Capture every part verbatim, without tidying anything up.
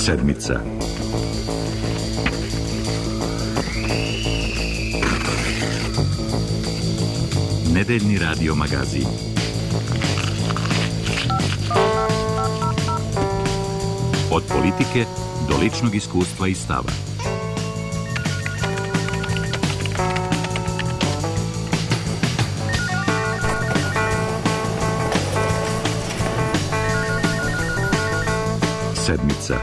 Sedmica. Nedeljni radio magazin. Od politike do ličnog iskustva i stava. Sedmica.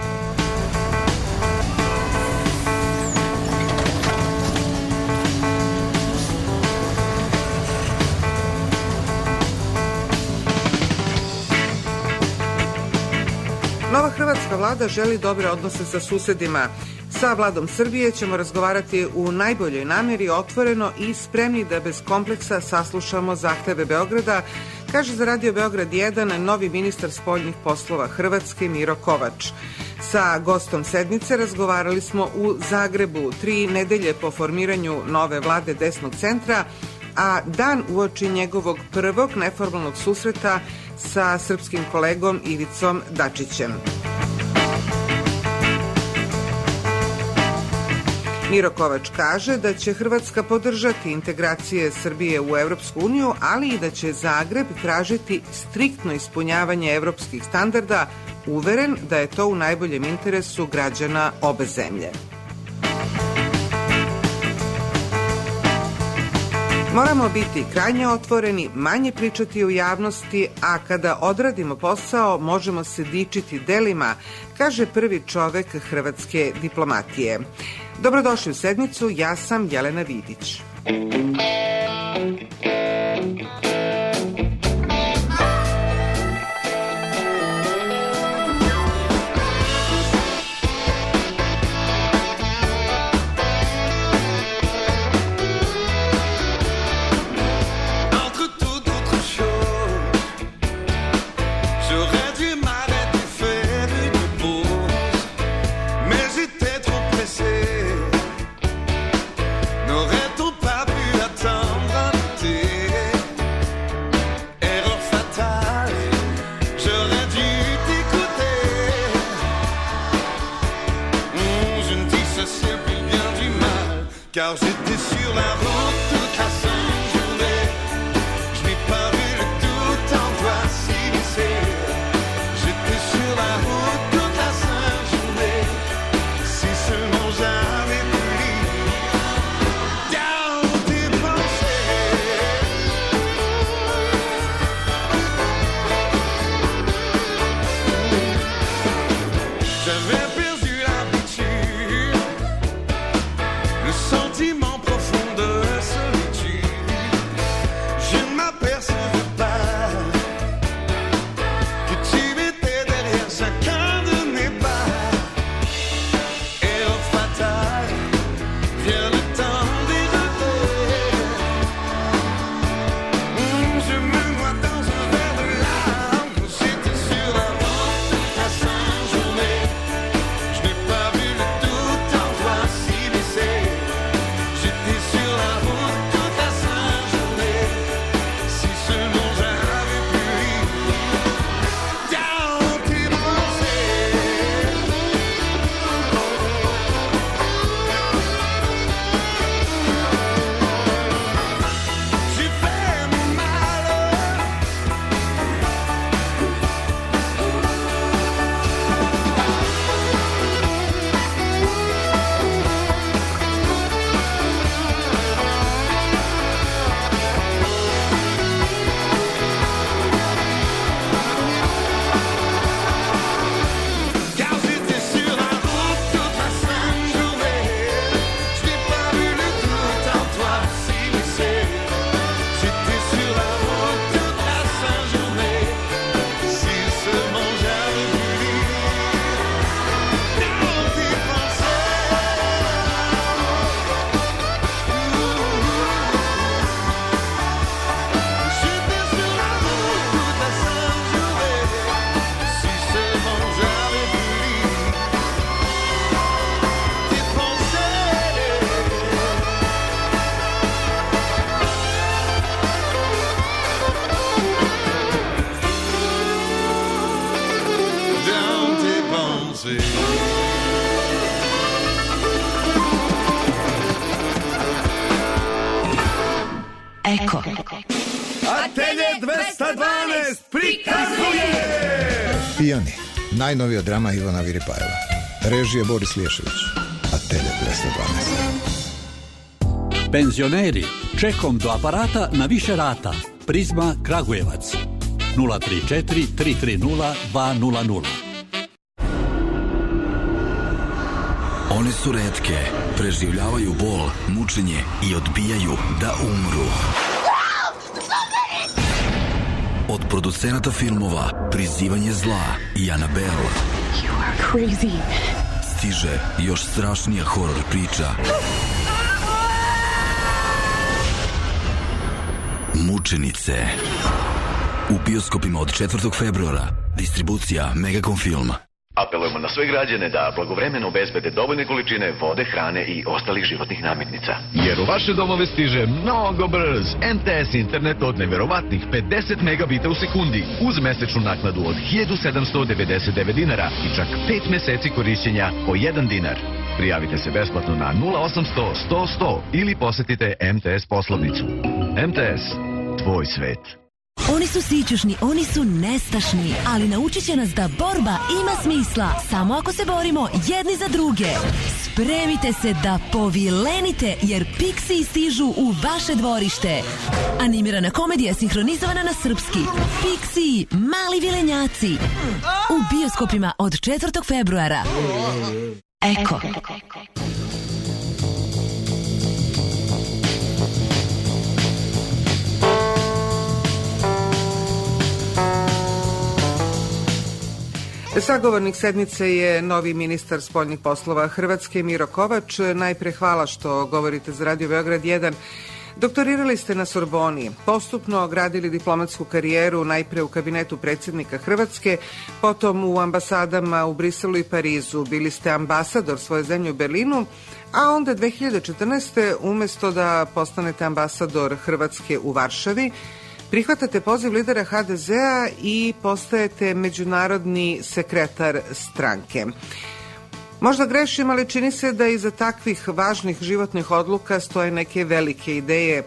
Nova hrvatska vlada želi dobre odnose sa susedima. Sa vladom Srbije ćemo razgovarati u najboljoj namjeri, otvoreno i spremni da bez kompleksa saslušamo zahteve Beograda, kaže za Radio Beograd jedan novi ministar spoljnih poslova Hrvatske Miro Kovač. Sa gostom sedmice razgovarali smo u Zagrebu, tri nedelje po formiranju nove vlade desnog centra, a dan uoči njegovog prvog neformalnog susreta sa srpskim kolegom Ivicom Dačićem. Miro Kovač kaže da će Hrvatska podržati integracije Srbije u Evropsku uniju, ali i da će Zagreb tražiti striktno ispunjavanje evropskih standarda, uveren da je to u najboljem interesu građana obe zemlje. Moramo biti krajnje otvoreni, manje pričati u javnosti, a kada odradimo posao možemo se dičiti delima, kaže prvi čovek hrvatske diplomatije. Dobrodošli u sedmicu, ja sam Jelena Vidić. Car j'étais sur la route toute la sainte journée. Je n'ai pas vu le tout en toi s'immiscer. J'étais sur la route toute la sainte journée. Si seulement j'avais pu lire dans tes pensées. J'avais perdu l'habitude, le sentiment profond de Eko. Atelje dvesta dvanaest prikazuje Pijani, najnovija drama Ivana Viripajeva. Režija Boris Liješević. Atelje dvesta dvanaest. Penzioneri, čekom do aparata na više rata. Prizma Kragujevac. nula tri četiri tri tri nula dva nula nula. One su retke, preživljavaju bol, mučenje i odbijaju da umru. Od producenata filmova Prizivanje zla i Annabelle stiže još strašnija horor priča. Mučenice. U bioskopima od četvrtog februara. Distribucija Megacom Film. Apelujemo na sve građane da blagovremeno obezbede dovoljne količine vode, hrane i ostalih životnih namirnica. Jer u vaše domove stiže mnogo brz M T S internet od neverovatnih pedeset megabita u sekundi uz mesečnu naknadu od hiljadu sedamsto devedeset devet dinara i čak pet meseci korišćenja po jedan dinar. Prijavite se besplatno na nula osamsto sto sto ili posetite M T S poslovnicu. M T S, tvoj svet. Oni su sićušni, oni su nestašni, ali naučit će nas da borba ima smisla samo ako se borimo jedni za druge. Spremite se da povilenite, jer Pixiji stižu u vaše dvorište. Animirana komedija sinhronizovana na srpski. Pixiji, mali vilenjaci. U bioskopima od četvrtog februara. Eko. Sagovornik sedmice je novi ministar spoljnih poslova Hrvatske Miro Kovač. Najpre hvala što govorite za Radio Beograd jedan. Doktorirali ste na Sorboni, postupno gradili diplomatsku karijeru najpre u kabinetu predsjednika Hrvatske, potom u ambasadama u Briselu i Parizu. Bili ste ambasador svoje zemlje u Berlinu, a onda dve hiljade četrnaeste. umjesto da postanete ambasador Hrvatske u Varšavi, prihvatate poziv lidera H D Z-a i postajete međunarodni sekretar stranke. Možda grešim, ali čini se da iza takvih važnih životnih odluka stoje neke velike ideje.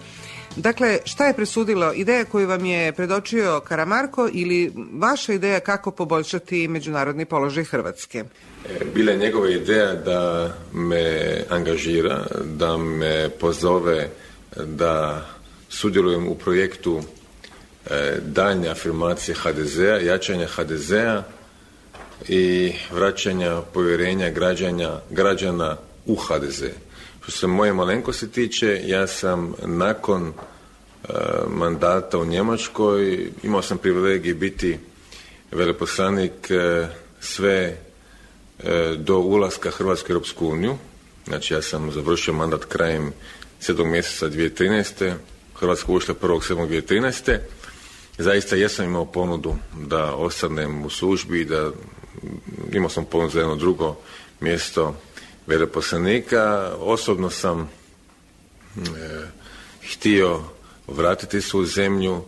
Dakle, šta je presudilo? Ideja koju vam je predočio Karamarko ili vaša ideja kako poboljšati međunarodni položaj Hrvatske? Bila je njegova ideja da me angažira, da me pozove da sudjelujem u projektu daljnje afirmacije H D Z-a, jačanja H D Z-a i vraćanja povjerenja građana, građana u H D Z. Što se moje malenkosti tiče, ja sam nakon uh, mandata u Njemačkoj imao sam privilegij biti veleposlanik uh, sve uh, do ulaska Hrvatske u Europsku uniju. Znači ja sam završio mandat krajem sedmog mjeseca dvije tisuće trinaeste. Hrvatska ušla prvog sedmog dvije tisuće trinaeste. Zaista jesam imao ponudu da ostanem u službi, da imao sam ponudu za jedno drugo mjesto veleposlanika. Osobno sam e, htio vratiti se u zemlju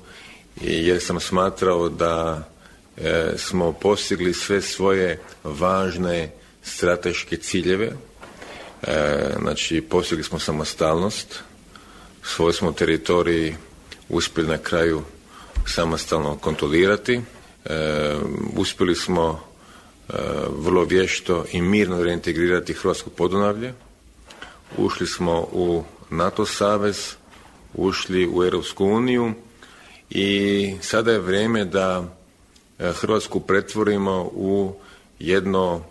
jer sam smatrao da e, smo postigli sve svoje važne strateške ciljeve. E, znači postigli smo samostalnost, svoj smo teritorij uspjeli na kraju samostalno kontrolirati. E, uspjeli smo e, vrlo vješto i mirno reintegrirati Hrvatsko Podunavlje. Ušli smo u NATO savez, ušli u Europsku uniju i sada je vrijeme da Hrvatsku pretvorimo u jedno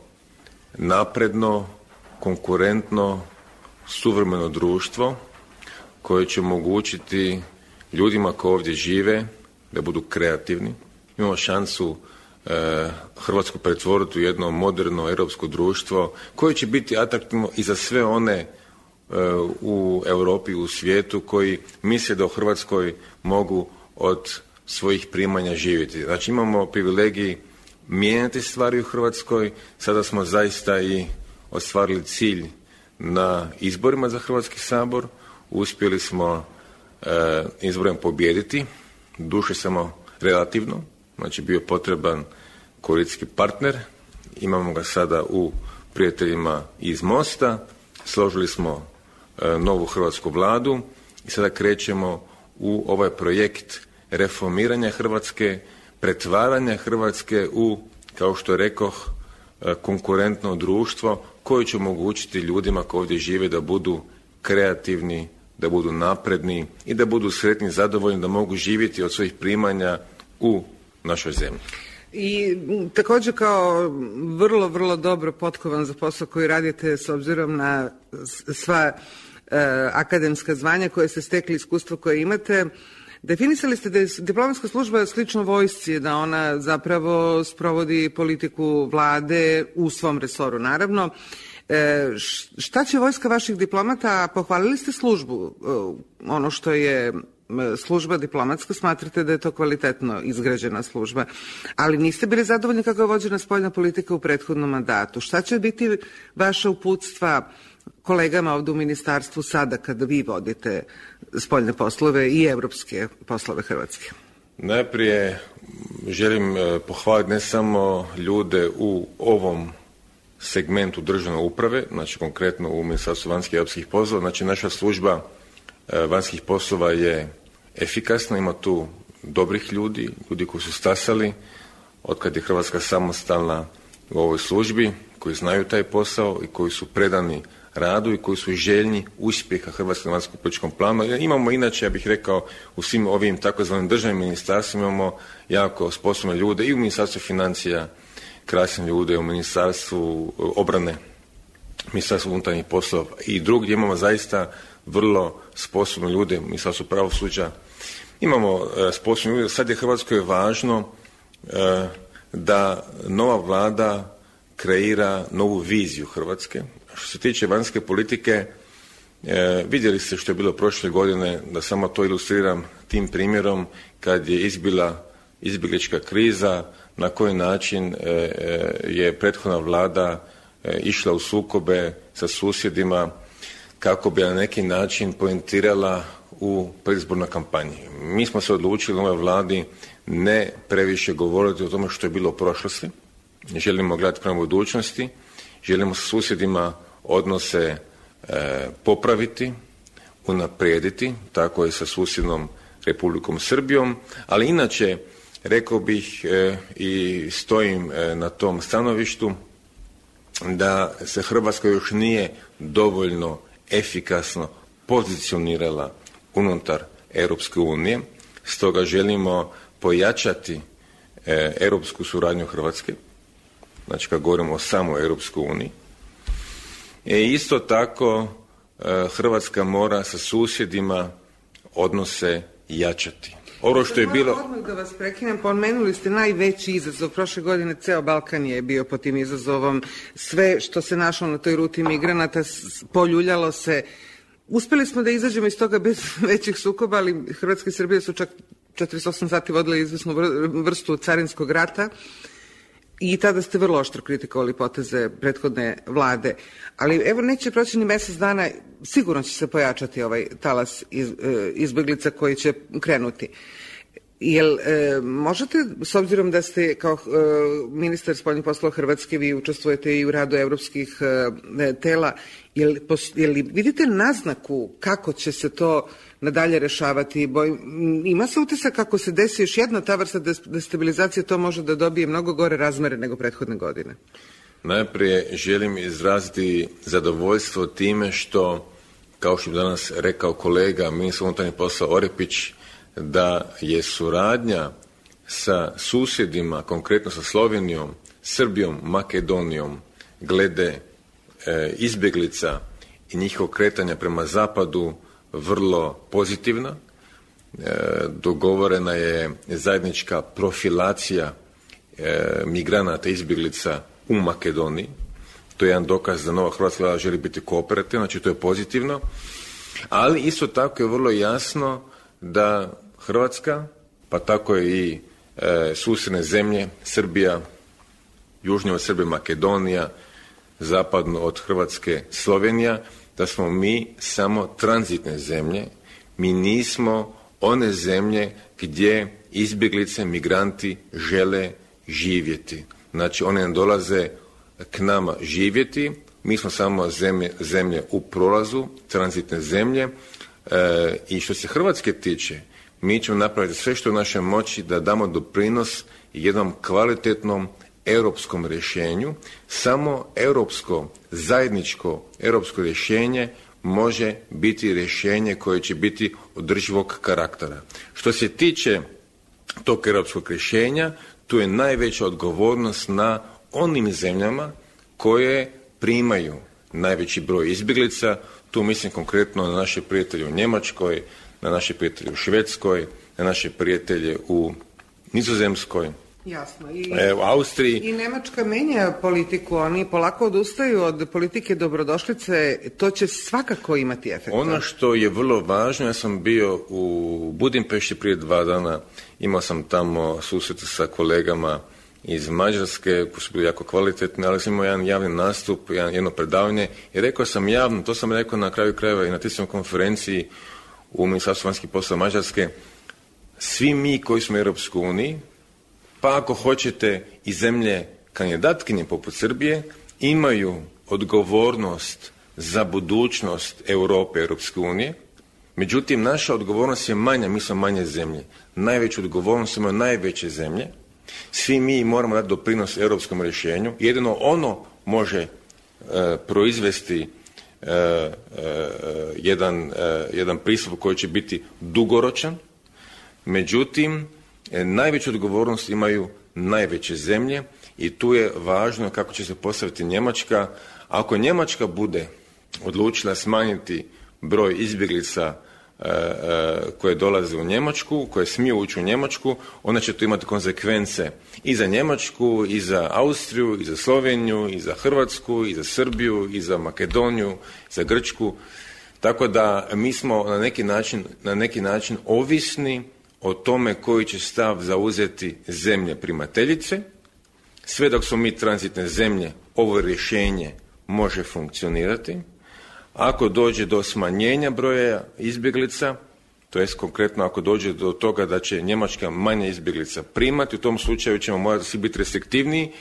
napredno, konkurentno, suvremeno društvo koje će omogućiti ljudima koji ovdje žive da budu kreativni. Imamo šansu e, Hrvatsku pretvoriti u jedno moderno europsko društvo koje će biti atraktivno i za sve one e, u Europi, u svijetu koji misle da u Hrvatskoj mogu od svojih primanja živjeti. Znači imamo privilegij mijenjati stvari u Hrvatskoj. Sada smo zaista i ostvarili cilj na izborima za Hrvatski sabor. Uspjeli smo e, izborima pobijediti, duše samo relativno, znači bio potreban koalicijski partner, imamo ga sada u prijateljima iz Mosta, složili smo e, novu hrvatsku vladu i sada krećemo u ovaj projekt reformiranja Hrvatske, pretvaranja Hrvatske u, kao što rekoh, konkurentno društvo koje će omogućiti ljudima koji ovdje žive da budu kreativni, da budu napredni i da budu sretni, zadovoljni, da mogu živjeti od svojih primanja u našoj zemlji. I također kao vrlo, vrlo dobro potkovan za posao koji radite s obzirom na sva e, akademska zvanja koje ste stekli, iskustvo koje imate, definisali ste da je diplomatska služba slično vojsci, da ona zapravo sprovodi politiku vlade u svom resoru, naravno. E, šta će vojska vaših diplomata? Pohvalili ste službu, e, ono što je služba diplomatska, smatrate da je to kvalitetno izgrađena služba, ali niste bili zadovoljni kako je vođena spoljna politika u prethodnom mandatu. Šta će biti vaša uputstva kolegama ovdje u ministarstvu sada kada vi vodite spoljne poslove i evropske poslove Hrvatske? Najprije želim pohvaliti ne samo ljude u ovom segmentu državne uprave, znači konkretno u Ministarstvu vanjskih i europskih poslova, znači naša služba vanjskih poslova je efikasna, ima tu dobrih ljudi, ljudi koji su stasali otkad je Hrvatska samostalna u ovoj službi, koji znaju taj posao i koji su predani radu i koji su željni uspjeha Hrvatske na vanjskom političkom planu. Imamo inače, ja bih rekao, u svim ovim takozvanim državnim ministarstvima imamo jako sposobne ljude i u Ministarstvu financija, krasne ljude, u Ministarstvu obrane, Ministarstvu unutarnjih poslova i drugdje imamo zaista vrlo sposobne ljude, Ministarstvu pravosuđa. Imamo e, sposobne ljude. Sad je Hrvatskoj važno e, da nova vlada kreira novu viziju Hrvatske. Što se tiče vanjske politike, e, vidjeli ste što je bilo prošle godine, da samo to ilustriram tim primjerom, kad je izbila izbjeglička kriza, na koji način e, e, je prethodna vlada e, išla u sukobe sa susjedima, kako bi na neki način poentirala u predizbornoj kampanji. Mi smo se odlučili u ovoj vladi ne previše govoriti o tome što je bilo u prošlosti. Želimo gledati prema budućnosti, želimo sa susjedima odnose e, popraviti, unaprijediti, tako je sa susjednom Republikom Srbijom, ali inače rekao bih e, i stojim e, na tom stanovištu da se Hrvatska još nije dovoljno efikasno pozicionirala unutar Europske unije, stoga želimo pojačati e, europsku suradnju Hrvatske, znači kad govorimo o samoj Europskoj uniji. E, isto tako e, Hrvatska mora sa susjedima odnose jačati. Ovo što je bilo... Odmah da vas prekinem, pomenuli ste najveći izazov. Prošle godine ceo Balkan je bio pod tim izazovom. Sve što se našlo na toj ruti migranata poljuljalo se. Uspeli smo da izađemo iz toga bez većih sukoba, ali Hrvatska i Srbija su čak četrdeset osam sati vodile izvesnu vrstu carinskog rata i tada ste vrlo oštro kritikovali poteze prethodne vlade. Ali evo, neće proći ni mjesec dana, sigurno će se pojačati ovaj talas iz, izbjeglica koji će krenuti. Jel e, možete, s obzirom da ste kao e, ministar spoljnih poslova Hrvatske, vi učestvujete i u radu evropskih e, tela, jel, pos, jel vidite naznaku kako će se to nadalje rešavati? Boj, ima se utisak kako se desi još jedna ta vrsta destabilizacije, to može da dobije mnogo gore razmere nego prethodne godine? Najprije želim izraziti zadovoljstvo time što, kao što je danas rekao kolega ministar unutarnjih poslova Orepić, da je suradnja sa susjedima, konkretno sa Slovenijom, Srbijom, Makedonijom, glede e, izbjeglica i njihovog kretanja prema zapadu vrlo pozitivna. E, dogovorena je zajednička profilacija e, migranata, izbjeglica u Makedoniji. To je jedan dokaz da nova hrvatska vlada želi biti kooperativna, znači to je pozitivno. Ali isto tako je vrlo jasno da Hrvatska, pa tako je i e, susjedne zemlje, Srbija, južnije od Srbije Makedonija, zapadno od Hrvatske Slovenija, da smo mi samo tranzitne zemlje, mi nismo one zemlje gdje izbjeglice, migranti žele živjeti. Znači one ne dolaze k nama živjeti, mi smo samo zemlje, zemlje u prolazu, tranzitne zemlje. E, I što se Hrvatske tiče, mi ćemo napraviti sve što je u našoj moći da damo doprinos jednom kvalitetnom europskom rješenju. Samo europsko, zajedničko europsko rješenje može biti rješenje koje će biti održivog karaktera. Što se tiče tog europskog rješenja, tu je najveća odgovornost na onim zemljama koje primaju najveći broj izbjeglica. Tu mislim konkretno na naše prijatelje u Njemačkoj, na naše prijatelje u Švedskoj, na naše prijatelje u Nizozemskoj. Jasno. I, e, u Austriji. I Nemačka menja politiku, oni polako odustaju od politike dobrodošlice, to će svakako imati efekt. Ono što je vrlo važno, ja sam bio u Budimpešti prije dva dana, imao sam tamo susret sa kolegama iz Mađarske, koji su bili jako kvalitetni, ali sam imao jedan javni nastup, jedan, jedno predavanje i rekao sam javno, to sam rekao na kraju krajeva i na tiskovnoj konferenciji u Ministarstvu vanjskih poslova Mađarske, svi mi koji smo u Europskoj uniji, pa ako hoćete i zemlje kandidatkinje poput Srbije, imaju odgovornost za budućnost Europe, Europske unije. Međutim, naša odgovornost je manja, mi smo manje zemlje. Najveću odgovornost imaju najveće zemlje. Svi mi moramo dati doprinos europskom rješenju. Jedino ono može e, proizvesti e, e, jedan, e, jedan pristup koji će biti dugoročan. Međutim, e, najveću odgovornost imaju najveće zemlje i tu je važno kako će se postaviti Njemačka. Ako Njemačka bude odlučila smanjiti broj izbjeglica e, e, koje dolaze u Njemačku, koje smiju ući u Njemačku, onda će to imati konsekvence i za Njemačku, i za Austriju, i za Sloveniju, i za Hrvatsku, i za Srbiju, i za Makedoniju, i za Grčku. Tako da mi smo na neki način, na neki način ovisni o tome koji će stav zauzeti zemlje primateljice. Sve dok smo mi tranzitne zemlje, ovo rješenje može funkcionirati. Ako dođe do smanjenja broja izbjeglica, to jest konkretno ako dođe do toga da će Njemačka manje izbjeglica primati, u tom slučaju ćemo morati svi biti restriktivniji,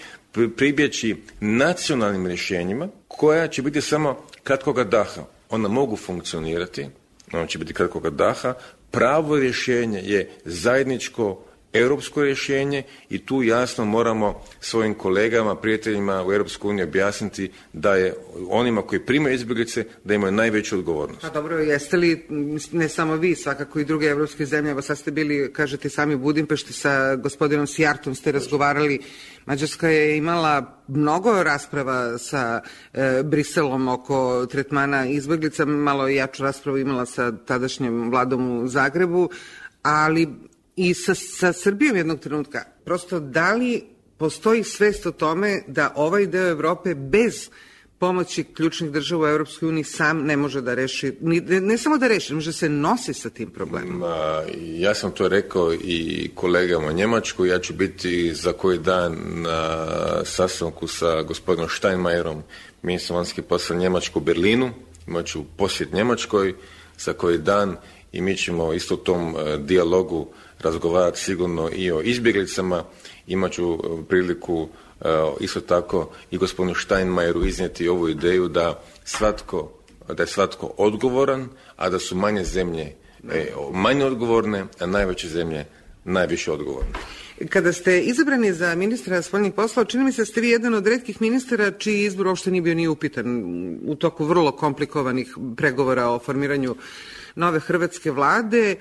pribjeći nacionalnim rješenjima koja će biti samo kratkoga daha. Ona mogu funkcionirati, ona će biti kratkoga daha. Pravo rješenje je zajedničko europsko rješenje i tu jasno moramo svojim kolegama, prijateljima u Europskoj uniji objasniti da je onima koji primaju izbjeglice da imaju najveću odgovornost. A dobro, jeste li, ne samo vi, svakako i druge europske zemlje, evo sad ste bili, kažete sami u Budimpešti, sa gospodinom Sijartom ste razgovarali. Mađarska je imala mnogo rasprava sa e, Briselom oko tretmana izbjeglica, malo jaču raspravu imala sa tadašnjom vladom u Zagrebu, ali i sa, sa Srbijom jednog trenutka. Prosto, da li postoji svest o tome da ovaj deo Evrope bez pomoći ključnih država u Europskoj uniji sam ne može da reši, ne, ne samo da reši, može se nosi sa tim problemom? Ma, ja sam to rekao i kolegama u Njemačkoj, ja ću biti za koji dan na sastanku sa gospodinom Steinmeierom, ministrom vanjskih poslova Njemačku u Berlinu, imat ću posjet Njemačkoj za koji dan i mi ćemo isto u tom uh, dijalogu razgovarati sigurno i o izbjeglicama. Imat ću uh, priliku uh, isto tako i gospodinu Steinmeieru iznijeti ovu ideju da svatko, da je svatko odgovoran, a da su manje zemlje e, manje odgovorne, a najveće zemlje najviše odgovorne. Kada ste izabrani za ministra spoljnih poslova, čini mi se da ste vi jedan od retkih ministara čiji izbor uopšte nije bio ni upitan u toku vrlo komplikovanih pregovora o formiranju nove hrvatske vlade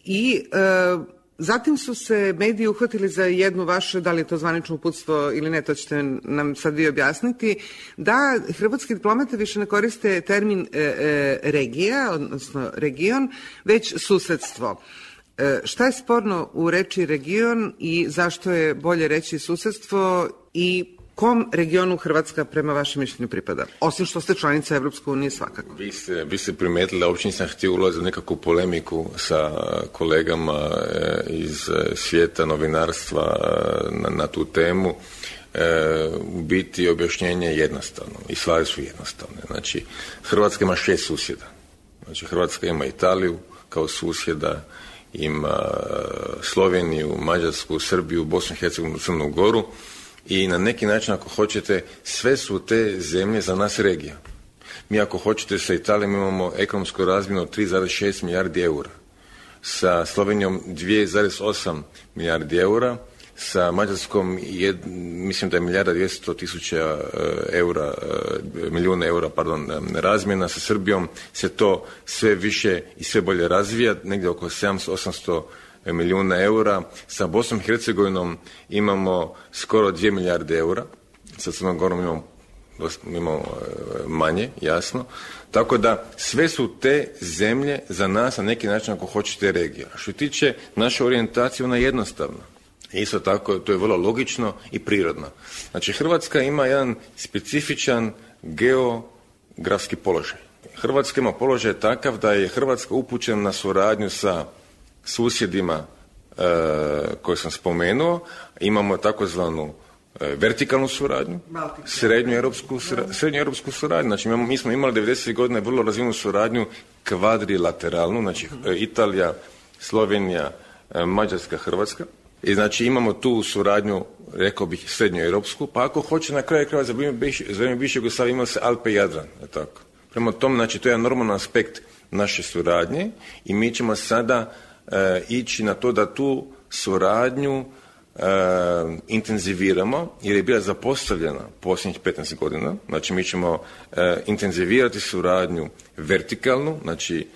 i e, zatim su se mediji uhvatili za jednu vašu, da li je to zvanično uputstvo ili ne, to ćete nam sad vi objasniti, da hrvatski diplomate više ne koriste termin e, e, regija, odnosno region, već susedstvo. E, šta je sporno u reči region i zašto je bolje reći susedstvo i kom regionu Hrvatska prema vašem mišljenju pripada? Osim što ste članica Evropske unije svakako. Vi ste, vi ste primetili da uopće nisam htio ulaziti u nekakvu polemiku sa kolegama e, iz svijeta novinarstva e, na, na tu temu. E, u biti objašnjenje je jednostavno i stvari su jednostavne. Znači, Hrvatska ima šest susjeda. Znači, Hrvatska ima Italiju kao susjeda, ima Sloveniju, Mađarsku, Srbiju, Bosnu i Hercegovinu, Crnu Goru i na neki način, ako hoćete, sve su te zemlje za nas regija. Mi ako hoćete sa Italijom imamo ekonomsku razmjenu od tri zarez šest milijardi eura, sa Slovenijom dvije zarez osam milijardi eura, sa Mađarskom jed, mislim da je milijarda dvjesto tisuća eura, milijuna eura, pardon, razmjena, sa Srbijom se to sve više i sve bolje razvija, negdje oko sedamsto osamsto milijuna eura, sa Bosnom i Hercegovinom imamo skoro dvije milijarde eura, sa Crnom Gorom imamo, imamo manje, jasno, tako da sve su te zemlje za nas na neki način, ako hoćete, regija. Što se tiče naše orijentacije, ona je jednostavna. Isto tako, to je vrlo logično i prirodno. Znači, Hrvatska ima jedan specifičan geografski položaj. Hrvatska ima položaj takav da je Hrvatska upućena na suradnju sa susjedima e, koje sam spomenuo. Imamo takozvanu e, vertikalnu suradnju, srednjoeuropsku srednjoeuropsku suradnju. Znači, mi, mi smo imali devedesetih godina vrlo razvijenu suradnju kvadrilateralnu, znači e, Italija, Slovenija, e, Mađarska, Hrvatska. I znači imamo tu suradnju, rekao bih, srednjoeuropsku, pa ako hoće na kraju kraja za vrijeme bivše Jugoslavije imali se Alpe i Jadran, je tako. Prema tome, znači, to je jedan normalan aspekt naše suradnje i mi ćemo sada e, ići na to da tu suradnju e, intenziviramo, jer je bila zapostavljena posljednjih petnaest godina. Znači, mi ćemo e, intenzivirati suradnju vertikalnu, znači,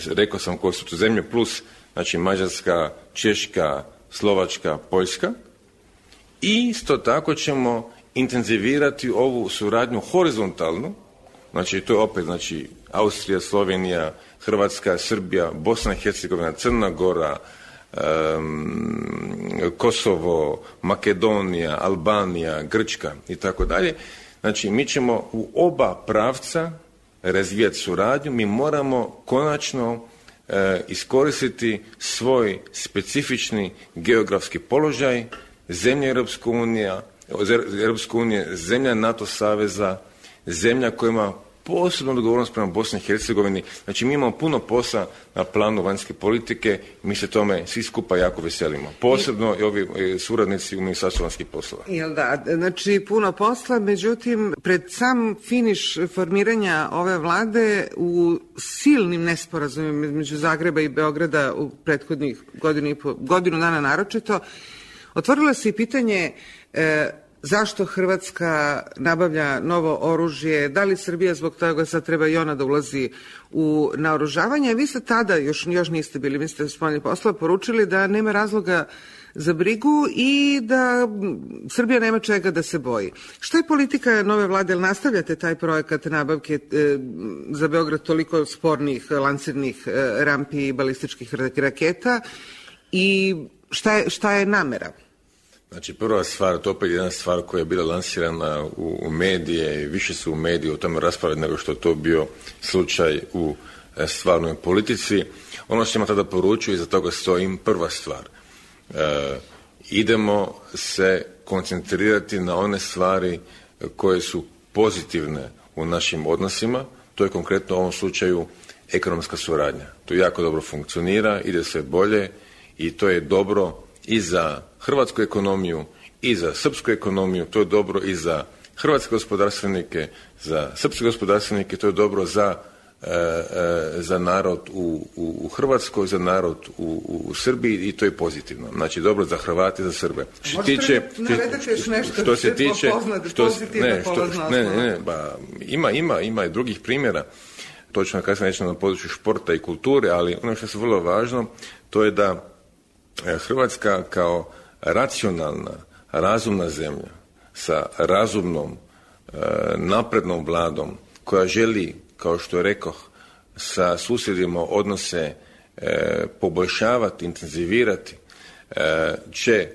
rekao sam koje su to zemlje, plus, znači, Mađarska, Češka, Slovačka, Poljska, i isto tako ćemo intenzivirati ovu suradnju horizontalnu, znači to je opet, znači, Austrija, Slovenija, Hrvatska, Srbija, Bosna i Hercegovina, Crna Gora, um, Kosovo, Makedonija, Albanija, Grčka i tako dalje. Znači, mi ćemo u oba pravca razvijati suradnju, mi moramo konačno e, iskoristiti svoj specifični geografski položaj, zemlja Europske unije, Europske unije, zemlja NATO saveza, zemlja koja ima posebnu odgovornost prema Bosni i Hercegovini. Znači, mi imamo puno posla na planu vanjske politike, mi se tome svi skupa jako veselimo. Posebno i ovi suradnici u Ministarstvu vanjskih poslova. Jel da, znači puno posla, međutim, pred sam finiš formiranja ove vlade u silnim nesporazumima između Zagreba i Beograda u prethodnih godinu i po, godinu dana naročito, otvorilo se i pitanje e, zašto Hrvatska nabavlja novo oružje, da li Srbija zbog toga sad treba i ona da ulazi u naoružavanje. Vi ste tada, još, još niste bili ministar spoljnih poslova, poručili da nema razloga za brigu i da Srbija nema čega da se boji. Šta je politika nove vlade? Ili nastavljate taj projekat nabavke e, za Beograd toliko spornih lansirnih e, rampi i balističkih raketa i šta je, šta je namera? Znači, prva stvar, to opet je jedna stvar koja je bila lansirana u, u medije i više su u mediji o tome raspravljati nego što je to bio slučaj u e, stvarnoj politici. Ono što ima tada poručuju i za toga stojim, prva stvar. E, idemo se koncentrirati na one stvari koje su pozitivne u našim odnosima, to je konkretno u ovom slučaju ekonomska suradnja. To jako dobro funkcionira, ide sve bolje i to je dobro i za hrvatsku ekonomiju i za srpsku ekonomiju, to je dobro i za hrvatske gospodarstvenike, za srpske gospodarstvenike, to je dobro za, e, e, za narod u, u, u Hrvatskoj, za narod u, u, u Srbiji i to je pozitivno. Znači, dobro za Hrvate i za Srbe. Što tiče, što se tiče, što, ne, što, ne, ne, ne, ba, ima, ima, ima i drugih primjera, točno kasnije nećemo na području športa i kulture, ali ono što je vrlo važno, to je da Hrvatska kao racionalna, razumna zemlja sa razumnom, naprednom vladom koja želi, kao što rekoh, sa susjedima odnose poboljšavati, intenzivirati, će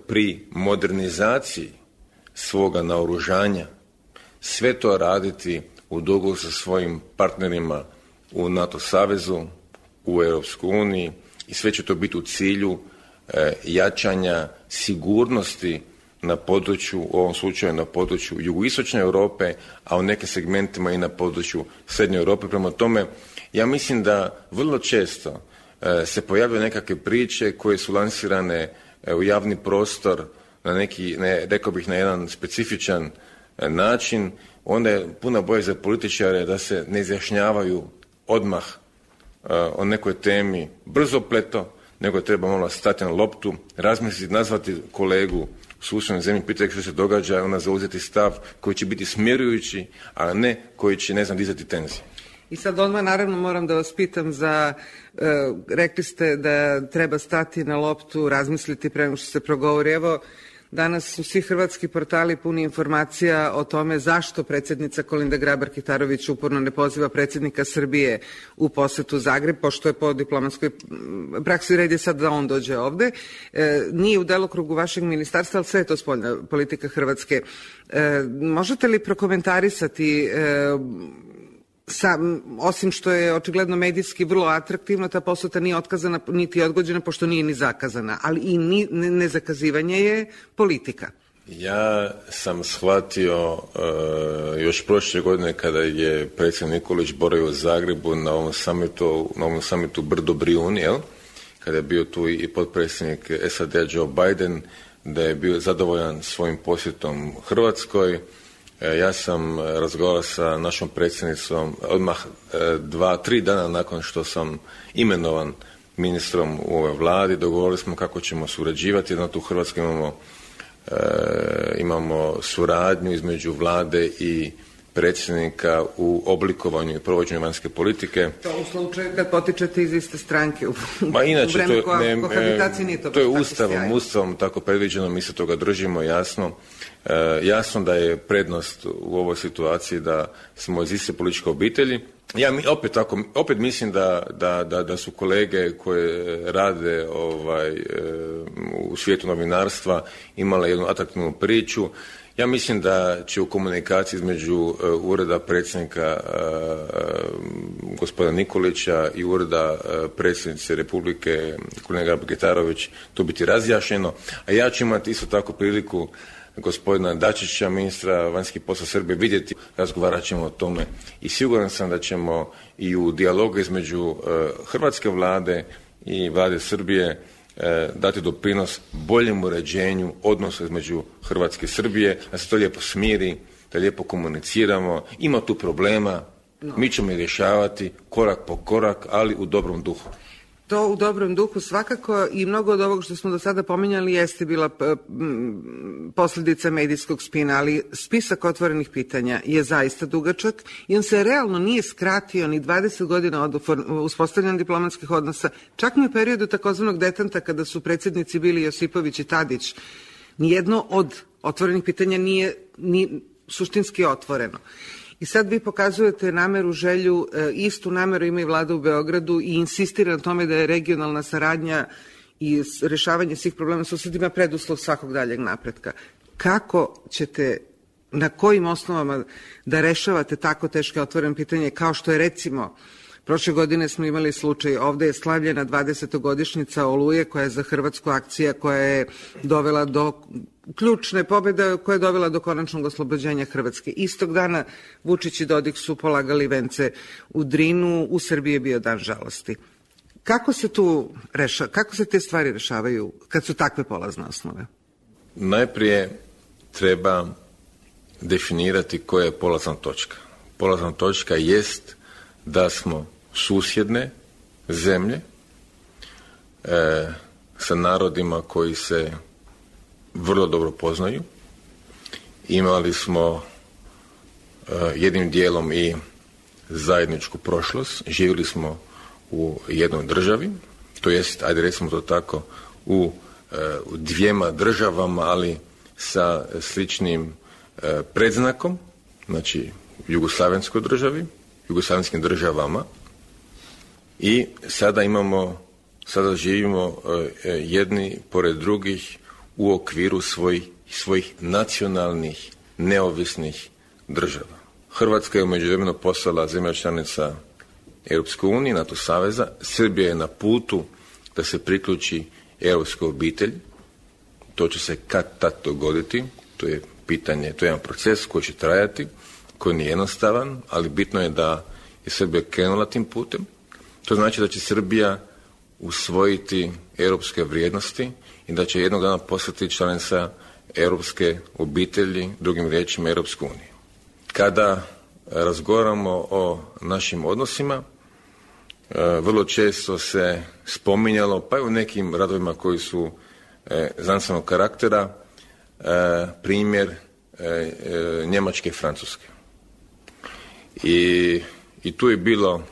pri modernizaciji svoga naoružanja sve to raditi u dogovoru sa svojim partnerima u NATO savezu, u Europskoj uniji, i sve će to biti u cilju e, jačanja sigurnosti na području, u ovom slučaju na području jugoistočne Europe, a u nekim segmentima i na području srednje Europe. Prema tome, ja mislim da vrlo često e, se pojavljaju nekakve priče koje su lansirane e, u javni prostor na neki, ne, rekao bih, na jedan specifičan e, način, onda je puno bolje za političare da se ne izjašnjavaju odmah o nekoj temi brzopleto, nego treba malo stati na loptu, razmisliti, nazvati kolegu u susjednoj zemlji, pitati što se događa i onda zauzeti stav koji će biti smjerujući, a ne koji će, ne znam, dizati tenzije. I sad odmah naravno moram da vas pitam za, e, rekli ste da treba stati na loptu, razmisliti pre nego što se progovori. Evo, danas su svi hrvatski portali puni informacija o tome zašto predsjednica Kolinda Grabar-Kitarović uporno ne poziva predsjednika Srbije u posetu Zagreb, pošto je po diplomatskoj praksi red je sad da on dođe ovde. E, nije u delokrugu vašeg ministarstva, ali sve je to spoljna politika Hrvatske. E, možete li prokomentarisati e, Sa, osim što je očigledno medijski vrlo atraktivno, ta poseta nije otkazana niti odgođena, pošto nije ni zakazana, ali i ni, ne, nezakazivanje je politika. Ja sam shvatio uh, još prošle godine kada je predsjednik Nikolić boravio u Zagrebu na ovom samitu, na ovom samitu Brdo Brijuni, jel? Kada je bio tu i potpredsjednik S A D-a Joe Biden, da je bio zadovoljan svojim posjetom Hrvatskoj. Ja sam razgovarao sa našom predsjednicom odmah dva, tri dana nakon što sam imenovan ministrom u ovoj vladi. Dogovorili smo kako ćemo surađivati. Jedno tu u Hrvatskoj imamo, e, imamo suradnju između vlade i predsjednika u oblikovanju i provođenju vanjske politike. To u slučaju kad potičete iz iste stranke u, Ma inače, u vreme to, ne, kohabitacije nije to to je ustavom, ustavom tako predviđeno, mi se toga držimo jasno. E, jasno da je prednost u ovoj situaciji da smo iz iste političke obitelji. Ja mi, opet, tako, opet mislim da, da, da, da su kolege koje rade ovaj, e, u svijetu novinarstva imale jednu atraktivnu priču. Ja mislim da će u komunikaciji između uh, ureda predsjednika uh, gospodina Nikolića i ureda uh, predsjednice Republike Kolinda Grabar-Kitarović to biti razjašnjeno, a ja ću imati isto tako priliku gospodina Dačića, ministra vanjskih poslova Srbije, vidjeti, razgovarat ćemo o tome i siguran sam da ćemo i u dijalogu između uh, hrvatske vlade i vlade Srbije dati doprinos boljem uređenju odnosa između Hrvatske i Srbije, da se to lijepo smiri, da lijepo komuniciramo. Ima tu problema, no. Mi ćemo ih rješavati korak po korak, ali u dobrom duhu. To u dobrom duhu svakako i mnogo od ovog što smo do sada pominjali jeste bila posljedica medijskog spina, ali spisak otvorenih pitanja je zaista dugačak i on se realno nije skratio ni dvadeset godina od uspostavljanja diplomatskih odnosa, čak ni u periodu takozvanog detanta kada su predsjednici bili Josipović i Tadić. Nijedno od otvorenih pitanja nije ni suštinski otvoreno. I sad vi pokazujete nameru, želju, istu nameru ima i vlada u Beogradu i insistira na tome da je regionalna saradnja i rešavanje svih problema susedima preduslov svakog daljeg napretka. Kako ćete, na kojim osnovama da rešavate tako teške otvorene pitanje kao što je recimo prošle godine smo imali slučaj, ovde je slavljena dvadesetogodišnjica Oluje koja je za Hrvatsku akcija koja je dovela do ključne pobjede koja je dovela do konačnog oslobođenja Hrvatske. Istog dana Vučić i Dodik su polagali vence u Drinu, u Srbiji je bio dan žalosti. Kako se tu reša, kako se te stvari rešavaju kad su takve polazne osnove? Najprije treba definirati koja je polazna točka. Polazna točka jest da smo susjedne zemlje e, sa narodima koji se vrlo dobro poznaju. Imali smo e, jednim dijelom i zajedničku prošlost. Živjeli smo u jednoj državi, to jest, ajde recimo to tako, u, e, u dvijema državama, ali sa sličnim e, predznakom, znači jugoslavenskoj državi, jugoslavenskim državama i sada imamo, sada živimo e, jedni pored drugih u okviru svojih, svojih nacionalnih, neovisnih država. Hrvatska je u međuvremenu postala zemlja članica Europske unije, NATO saveza. Srbija je na putu da se priključi europskoj obitelji. To će se kad tad dogoditi. To je pitanje, to je jedan proces koji će trajati, koji nije jednostavan, ali bitno je da je Srbija krenula tim putem. To znači da će Srbija usvojiti europske vrijednosti i da će jednog dana postati članica europske obitelji, drugim riječima Europske unije. Kada razgovaramo o našim odnosima, vrlo često se spominjalo, pa i u nekim radovima koji su znanstvenog karaktera, primjer Njemačke i Francuske. I, i tu je bilo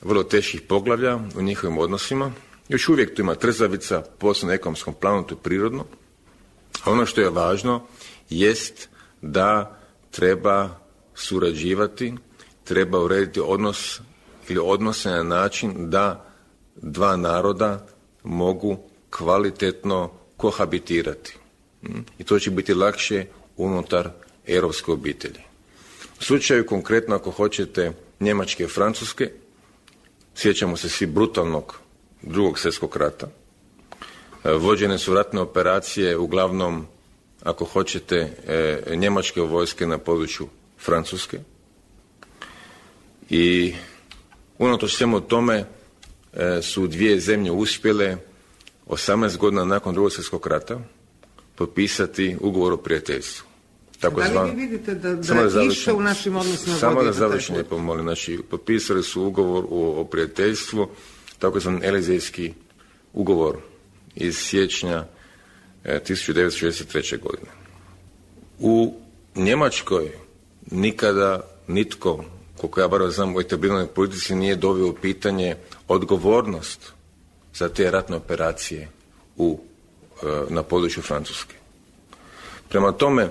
vrlo teških poglavlja u njihovim odnosima. Još uvijek tu ima trzavica, posebno na ekonomskom planu, to je prirodno. A ono što je važno jest da treba surađivati, treba urediti odnos ili odnose na način da dva naroda mogu kvalitetno kohabitirati. I to će biti lakše unutar europske obitelji. U slučaju konkretno, ako hoćete, Njemačke i Francuske, sjećamo se svi brutalnog drugog svjetskog rata. Vođene su ratne operacije, uglavnom, ako hoćete, njemačke vojske na području Francuske. I unatoč svemu tome su dvije zemlje uspjele osamnaest godina nakon drugog svjetskog rata potpisati ugovor o prijateljstvu. Tako da li zvan... vi vidite da, da, da išta u našim odnosima? Samo da završim lijepo, molim. Znači, potpisali su ugovor o, o prijateljstvu, tako zvan Elizejski ugovor iz siječnja e, tisuću devetsto šezdeset treće. godine. U Njemačkoj nikada nitko, koliko ja bar znam, u etabliranoj politici nije doveo u pitanje odgovornost za te ratne operacije u, e, na području Francuske. Prema tome,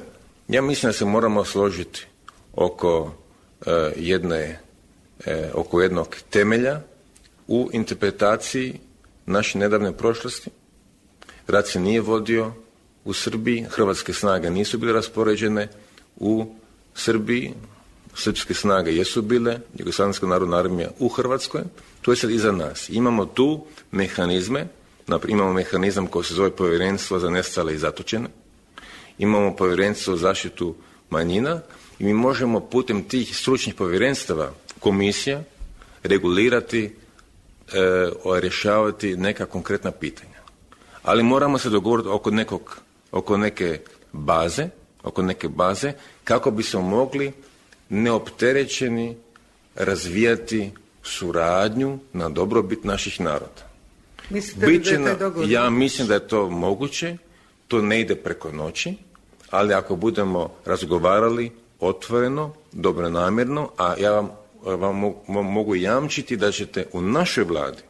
ja mislim da se moramo složiti oko e, jedne, e, oko jednog temelja u interpretaciji naše nedavne prošlosti. Rat se nije vodio u Srbiji, hrvatske snage nisu bile raspoređene u Srbiji, srpske snage jesu bile, Jugoslavenska narodna armija u Hrvatskoj, to je sad iza nas. Imamo tu mehanizme, naprimjer, imamo mehanizam koji se zove Povjerenstvo za nestale i zatočene, imamo Povjerenstvo za zaštitu manjina i mi možemo putem tih stručnih povjerenstava, komisija, regulirati, e, rješavati neka konkretna pitanja. Ali moramo se dogovoriti oko, nekog, oko neke baze, oko neke baze kako bismo mogli neopterećeni razvijati suradnju na dobrobit naših naroda. Mislite li da je taj dogovor? Ja mislim da je to moguće, to ne ide preko noći, ali ako budemo razgovarali otvoreno, dobronamjerno, a ja vam, vam mogu, mogu jamčiti da ćete u našoj vladi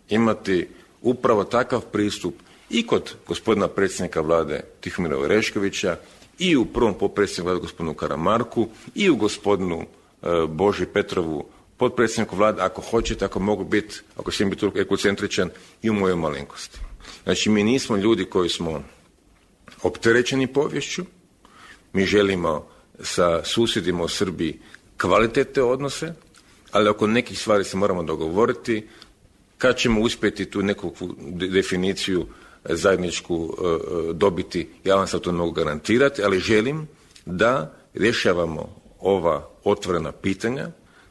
imati upravo takav pristup i kod gospodina predsjednika vlade Tihomira Oreškovića, i u prvom potpredsjedniku vlade gospodinu Karamarku, i u gospodinu e, Boži Petrovu, potpredsjedniku vlade, ako hoćete, ako mogu biti, ako smijem biti ekocentričan, i u mojoj malenkosti. Znači, mi nismo ljudi koji smo opterećeni poviješću, mi želimo sa susjedima u Srbiji kvalitetne odnose, ali oko nekih stvari se moramo dogovoriti. Kad ćemo uspjeti tu neku definiciju zajedničku uh, dobiti, ja vam sad to ne mogu garantirati, ali želim da rješavamo ova otvorena pitanja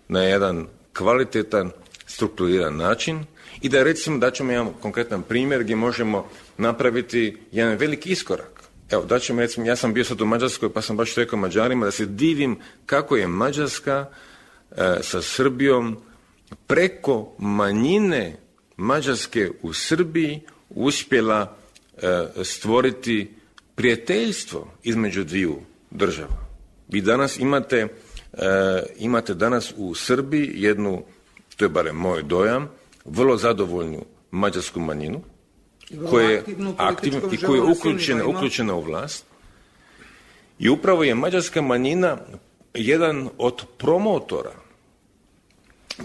na jedan kvalitetan, strukturiran način i da recimo da ćemo jedan konkretan primjer gdje možemo napraviti jedan veliki iskorak. Evo, da ćemo recimo, ja sam bio sad u Mađarskoj pa sam baš rekao Mađarima da se divim kako je Mađarska uh, sa Srbijom preko manjine Mađarske u Srbiji uspjela e, stvoriti prijateljstvo između dviju država. Vi danas imate, e, imate danas u Srbiji jednu, to je barem moj dojam, vrlo zadovoljnu mađarsku manjinu koja je aktivna i koja je uključena, uključena u vlast. I upravo je mađarska manjina jedan od promotora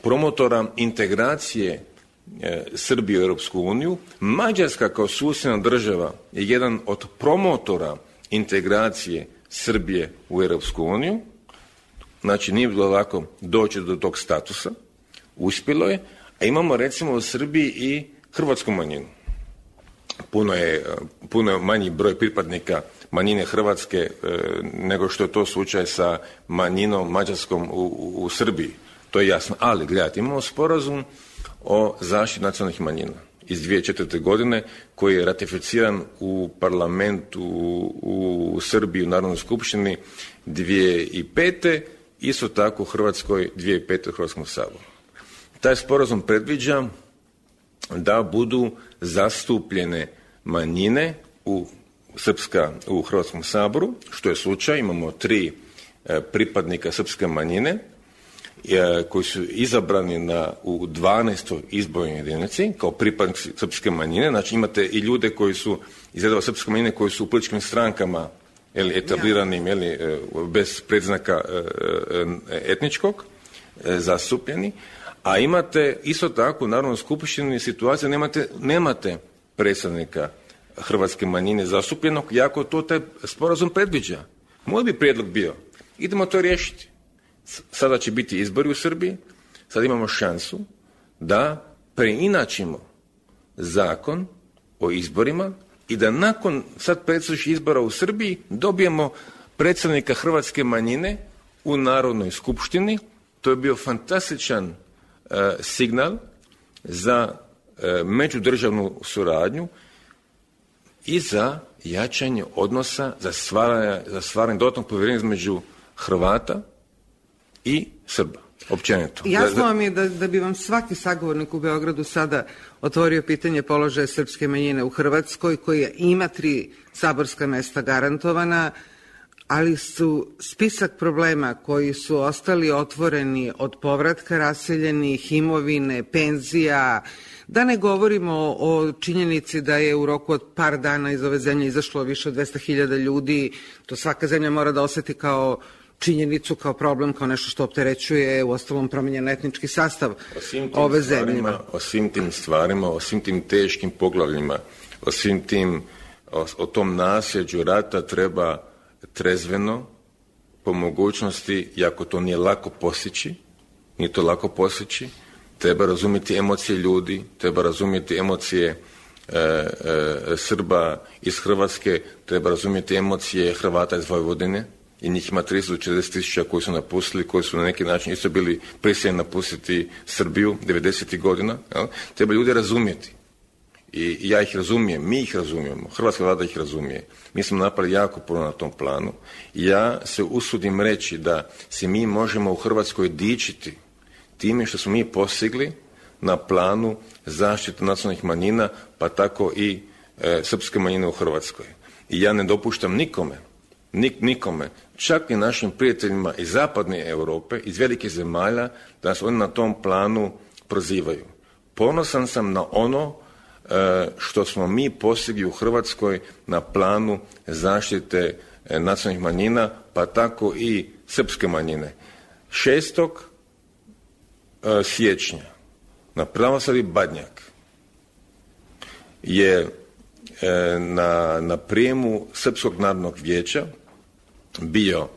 promotora integracije e, Srbije u Europsku uniju. Mađarska kao susjedna država je jedan od promotora integracije Srbije u Europsku uniju. Znači nije bilo lako doći do tog statusa. Uspjelo je, a imamo recimo u Srbiji i hrvatsku manjinu. Puno je, puno je manji broj pripadnika manjine Hrvatske e, nego što je to slučaj sa manjinom mađarskom u, u, u Srbiji. To je jasno. Ali, gledajte, imamo sporazum o zaštiti nacionalnih manjina. iz dvije tisuće četvrte. godine koji je ratificiran u parlamentu u Srbiji u Narodnoj skupštini dvije tisuće pete. Isto tako u Hrvatskoj dvije tisuće pete. u Hrvatskom saboru. Taj sporazum predviđa da budu zastupljene manjine u srpska u Hrvatskom saboru, što je slučaj. Imamo tri e, pripadnika srpske manjine e, koji su izabrani na, u dvanaestoj izbornoj jedinici kao pripadnici srpske manjine. Znači imate i ljude koji su iz redova srpske manjine koji su u političkim strankama ili etabliranim, ili bez predznaka etničkog, zastupljeni, a imate isto tako u Narodnoj skupštini situacije nemate, nemate predstavnika hrvatske manjine zastupljenog, jako to taj sporazum predviđa. Moj bi prijedlog bio, idemo to riješiti. Sada će biti izbori u Srbiji, sad imamo šansu da preinačimo zakon o izborima i da nakon sad predstojećih izbora u Srbiji dobijemo predstavnika hrvatske manjine u Narodnoj skupštini. To je bio fantastičan e, signal za e, međudržavnu suradnju i za jačanje odnosa, za stvaranje, za stvaranje dodatnog povjerenja između Hrvata i Srba. Općenito. Jasno vam je da, da bi vam svaki sagovornik u Beogradu sada otvorio pitanje položaja srpske manjine u Hrvatskoj, koja ima tri saborska mesta garantovana, ali su spisak problema koji su ostali otvoreni od povratka raseljenih, imovine, penzija, da ne govorimo o činjenici da je u roku od par dana iz ove zemlje izašlo više od dvesta hiljada ljudi, to svaka zemlja mora da oseti kao činjenicu, kao problem, kao nešto što opterećuje u ostalom promijenjen etnički sastav ove zemlje. O svim tim stvarima, o svim tim teškim poglavljima, o svim tim, o, o tom nasljeđu rata treba trezveno, po mogućnosti, iako to nije lako postići, nije to lako postići, treba razumjeti emocije ljudi, treba razumjeti emocije e, e, Srba iz Hrvatske, treba razumjeti emocije Hrvata iz Vojvodine, i njih ima trideset do četrdeset tisuća koji su napustili, koji su na neki način isto bili prisiljeni napustiti Srbiju devedesetih godina. Jel? Treba ljudi razumjeti. I ja ih razumijem, mi ih razumijemo, hrvatska vlada ih razumije. Mi smo napravili jako puno na tom planu. Ja se usudim reći da se mi možemo u Hrvatskoj dičiti time što smo mi postigli na planu zaštite nacionalnih manjina, pa tako i e, srpske manjine u Hrvatskoj. I ja ne dopuštam nikome, nik, nikome, čak i našim prijateljima iz zapadne Europe, iz velikih zemalja, da nas oni na tom planu prozivaju. Ponosan sam na ono e, što smo mi postigli u Hrvatskoj na planu zaštite e, nacionalnih manjina, pa tako i srpske manjine. šestog e, siječnja na Pravoslavni Badnjak je e, na, na prijemu Srpskog narodnog vijeća bio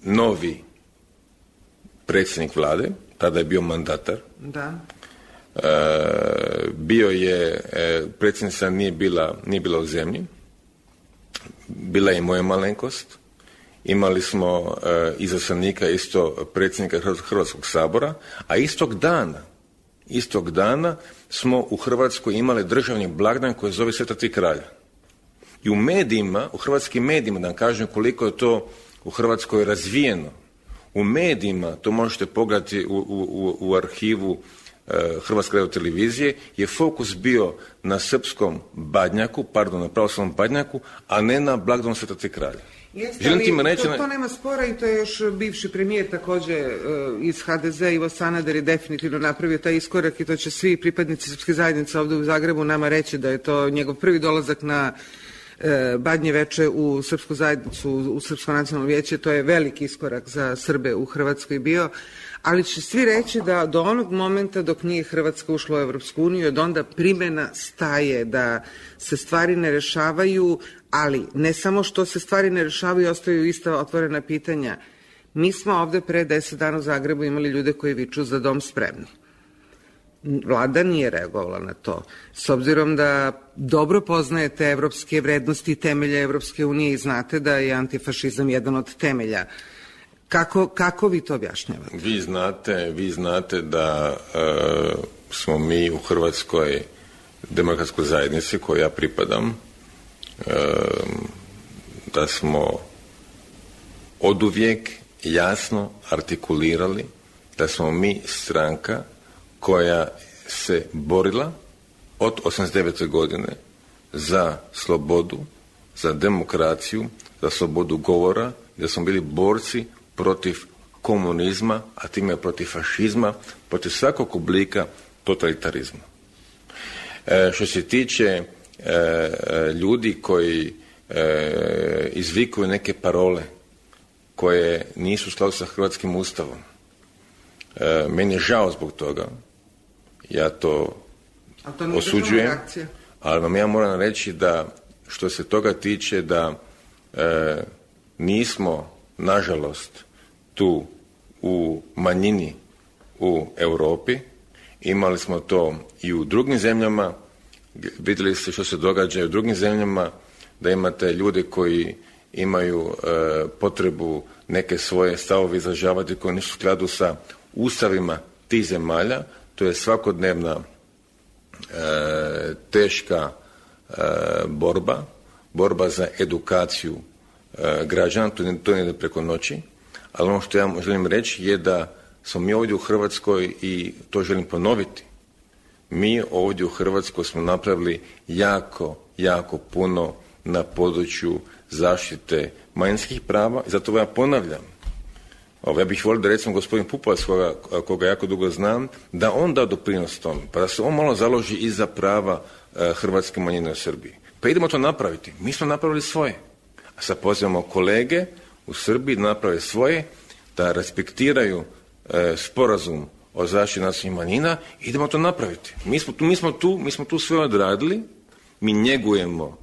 novi predsjednik vlade, tada je bio mandatar. Da. E, bio je, e, predsjednica nije bila, nije bila u zemlji, bila je i moja malenkost. Imali smo e, izaslanika isto predsjednika Hrvatskog sabora, a istog dana, istog dana smo u Hrvatskoj imali državni blagdan koji zove Sveta tri kralja. I u medijima, u hrvatskim medijima, da vam kažem koliko je to u Hrvatskoj razvijeno, u medijima, to možete pogledati u, u, u arhivu e, Hrvatske radiotelevizije, je fokus bio na srpskom Badnjaku, pardon, na pravoslavnom Badnjaku, a ne na blagdanu Sveta tri kralja. Jeste, ali to, to nema spora i to je još bivši premijer također uh, iz ha de ze, Ivo Sanader, je definitivno napravio taj iskorak i to će svi pripadnici srpske zajednice ovdje u Zagrebu nama reći da je to njegov prvi dolazak na uh, Badnje veče u srpsku zajednicu, u Srpsko nacionalno vijeće. To je veliki iskorak za Srbe u Hrvatskoj bio, ali će svi reći da do onog momenta dok nije Hrvatska ušla u Evropsku uniju, od onda primjena staje, da se stvari ne rešavaju, ali ne samo što se stvari ne rešavaju, ostaju ista otvorena pitanja. Mi smo ovde pre deset dana u Zagrebu imali ljude koji viču za dom spremni. Vlada nije reagovala na to. S obzirom da dobro poznajete evropske vrednosti i temelje Evropske unije i znate da je antifašizam jedan od temelja. Kako, kako vi to objašnjavate? Vi znate, vi znate da e, smo mi u Hrvatskoj demokratskoj zajednici kojoj ja pripadam, da smo oduvijek jasno artikulirali da smo mi stranka koja se borila od osamdeset devete godine za slobodu, za demokraciju, za slobodu govora, da smo bili borci protiv komunizma, a time protiv fašizma, protiv svakog oblika totalitarizma. E, što se tiče e, ljudi koji e, izvikuju neke parole koje nisu u skladu sa hrvatskim ustavom, e, meni je žao zbog toga, ja to, to osuđujem, ali vam ja moram reći da što se toga tiče da e, nismo, nažalost, tu u manjini u Europi, imali smo to i u drugim zemljama, vidjeli ste što se događa i u drugim zemljama, da imate ljude koji imaju e, potrebu neke svoje stavove izražavati koji nisu u skladu sa ustavima tih zemalja. To je svakodnevna e, teška e, borba, borba za edukaciju e, građana, to ne, to ne ide preko noći, ali ono što ja želim reći je da smo mi ovdje u Hrvatskoj, i to želim ponoviti, mi ovdje u Hrvatskoj smo napravili jako, jako puno na području zaštite manjinskih prava i zato ja ponavljam. Ovo, ja bih volio da recimo gospodin Pupovac, koga, koga jako dugo znam, da on da doprinos tome, pa da se on malo založi i za prava e, hrvatske manjine u Srbiji. Pa idemo to napraviti. Mi smo napravili svoje. A sad pozivamo kolege u Srbiji da naprave svoje, da respektiraju e, sporazum o zaštiti nacionalnih manjina, idemo to napraviti. Mi smo tu, mi smo tu, mi smo tu sve odradili, mi njegujemo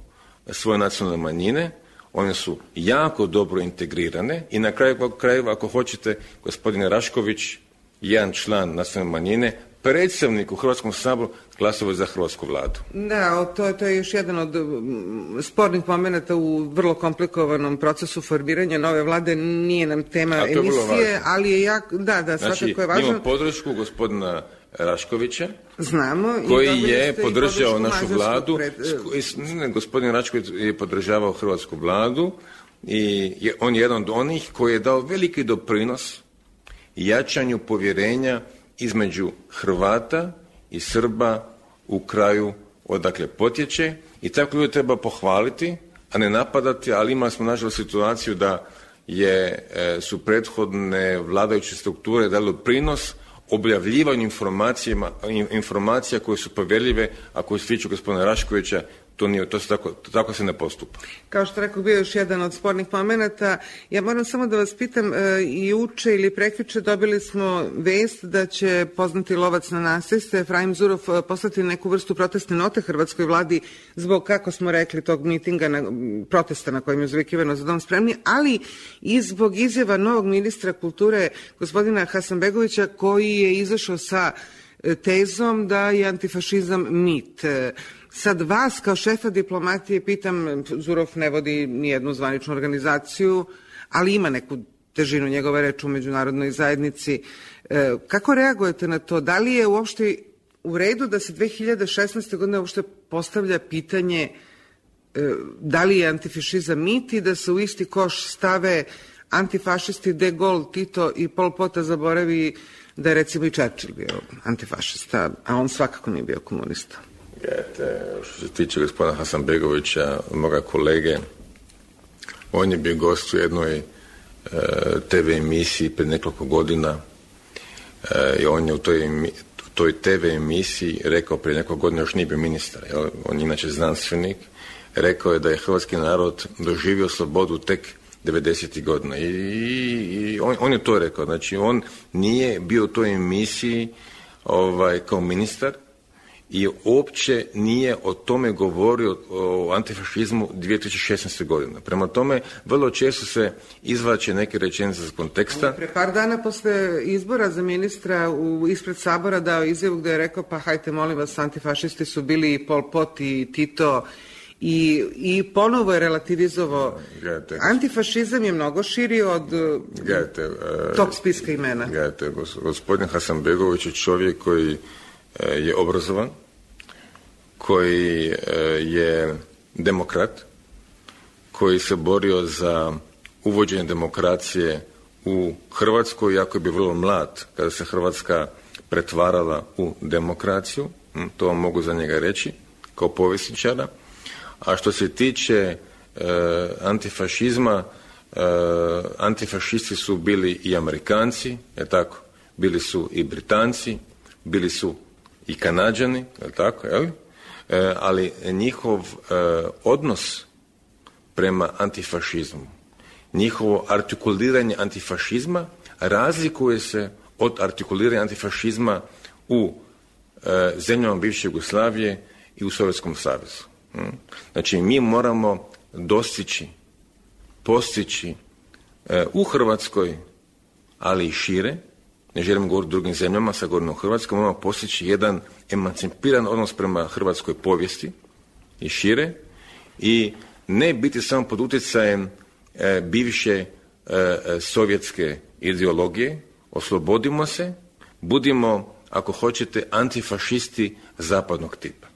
svoje nacionalne manjine, one su jako dobro integrirane i na kraju krajeva, ako hoćete, gospodine Rašković, jedan član nacionalne manjine, predstavnik u Hrvatskom saboru, glasovao za hrvatsku vladu. Da, to, to je još jedan od spornih momenata u vrlo komplikovanom procesu formiranja nove vlade. Nije nam tema emisije, ali je jako, da, da, svakako znači, je važno. Imamo podršku gospodina Raškovića, znamo, koji je podržao našu vladu. Pred... Ne, gospodin Rašković je podržavao hrvatsku vladu i je, on je jedan od onih koji je dao veliki doprinos jačanju povjerenja između Hrvata i Srba u kraju odakle potječe, i tako ljude treba pohvaliti, a ne napadati, ali imali smo nažalost situaciju da je, su prethodne vladajuće strukture dali doprinos objavljivanju informacija koje su povjerljive, a koje se tiču gospodina Raškovića. To, nije, to se tako, tako se ne postupa. Kao što rekao, bio još jedan od spornih momenata. Ja moram samo da vas pitam, i juče ili prekjuče dobili smo vest da će poznati lovac na nasilstvo Efraim Zurov poslati neku vrstu protestne note hrvatskoj vladi zbog, kako smo rekli, tog mitinga, na, protesta na kojem je uzvikivano za dom spremni, ali i zbog izjava novog ministra kulture gospodina Hasanbegovića, koji je izašao sa tezom da je antifašizam mit. Sad vas kao šefa diplomatije pitam, Zurov ne vodi nijednu zvaničnu organizaciju, ali ima neku težinu njegove reči u međunarodnoj zajednici. E, kako reagujete na to? Da li je uopšte u redu da se dve hiljade šesnaeste. godine uopšte postavlja pitanje e, da li je antifašizam mit i da se u isti koš stave antifašisti De Gaulle, Tito i Pol Pota, zaboravi da je recimo i Churchill bio antifašista, a on svakako nije bio komunista? Gledajte, što se tiče gospodina Hasanbegovića, moga kolege, on je bio gost u jednoj e, te ve emisiji pred nekoliko godina e, i on je u toj, toj te ve emisiji rekao, prije nekoliko godina još nije bio ministar, jel? On je inače znanstvenik, rekao je da je hrvatski narod doživio slobodu tek devedesetih godina i, i on, on je to rekao, znači on nije bio u toj emisiji ovaj, kao ministar i uopće nije o tome govorio, o antifašizmu dvije tisuće šesnaeste. godine. Prema tome, vrlo često se izvlače neke rečenice iz konteksta. Pre par dana posle izbora za ministra u, ispred Sabora dao izjavu gde je rekao, pa hajte molim vas, antifašisti su bili i Pol Pot i Tito, i, i ponovo je relativizovao. Gledajte, antifašizam je mnogo širi od gledajte, uh, tog spiska imena. Gledajte, gospodin Hasanbegović je čovjek koji uh, je obrazovan, koji je demokrat, koji se borio za uvođenje demokracije u Hrvatskoj, iako je bio vrlo mlad kada se Hrvatska pretvarala u demokraciju, to vam mogu za njega reći, kao povjesničara. A što se tiče e, antifašizma, e, antifašisti su bili i Amerikanci, je tako? Bili su i Britanci, bili su i Kanađani, je tako, je li? E, ali njihov e, odnos prema antifašizmu, njihovo artikuliranje antifašizma razlikuje se od artikuliranja antifašizma u e, zemljama bivše Jugoslavije i u Sovjetskom savezu. Hmm? Znači, mi moramo dostići, postići e, u Hrvatskoj, ali i šire, ne želim govoriti o drugim zemljama, sad govorim o Hrvatskoj, moramo postići jedan emancipiran odnos prema hrvatskoj povijesti i šire i ne biti samo pod utjecajem e, bivše e, sovjetske ideologije, oslobodimo se, budimo, ako hoćete, antifašisti zapadnog tipa.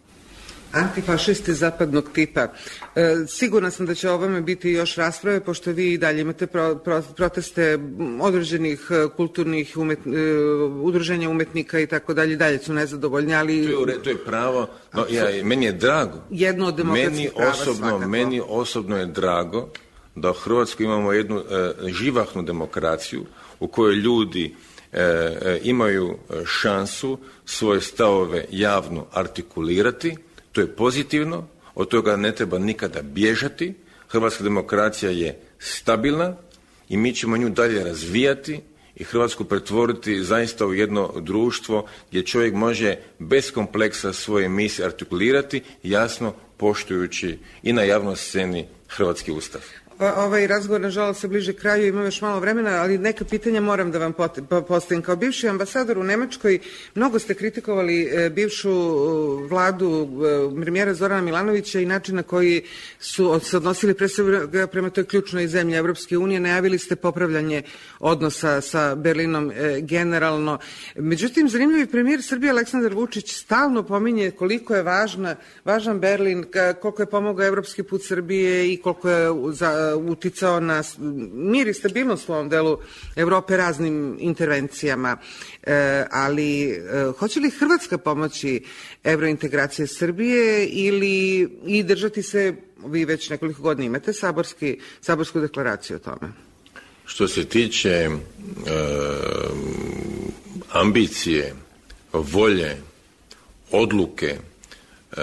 Antifašisti zapadnog tipa. E, sigurna sam da će o ovome biti još rasprave, pošto vi i dalje imate pro, pro, proteste određenih kulturnih umet, e, udruženja umetnika i tako dalje, dalje su nezadovoljni, ali... To je, to je pravo, no, ja, meni je drago. Jedno od demokratskih meni prava osobno, svakako. Meni osobno je drago da u Hrvatskoj imamo jednu e, živahnu demokraciju u kojoj ljudi e, e, imaju šansu svoje stavove javno artikulirati. To je pozitivno, od toga ne treba nikada bježati. Hrvatska demokracija je stabilna i mi ćemo nju dalje razvijati i Hrvatsku pretvoriti zaista u jedno društvo gdje čovjek može bez kompleksa svoje misli artikulirati, jasno poštujući i na javnoj sceni hrvatski ustav. Ovaj razgovor, nažalost, se bliže kraju, ima još malo vremena, ali neka pitanja moram da vam postavim. Kao bivši ambasador u Nemačkoj, mnogo ste kritikovali bivšu vladu premijera Zorana Milanovića i način na koji su se odnosili pre svega prema toj ključnoj zemlji Evropske unije. Najavili ste popravljanje odnosa sa Berlinom generalno. Međutim, zanimljivi premijer Srbije Aleksandar Vučić stalno pominje koliko je važna, važan Berlin, koliko je pomogao evropski put Srbije i koliko je za uticao na mir i stabilnost u ovom delu Evrope raznim intervencijama. E, ali e, hoće li Hrvatska pomoći evrointegracije Srbije ili i držati se, vi već nekoliko godina imate saborski, saborsku deklaraciju o tome? Što se tiče e, ambicije, volje, odluke e,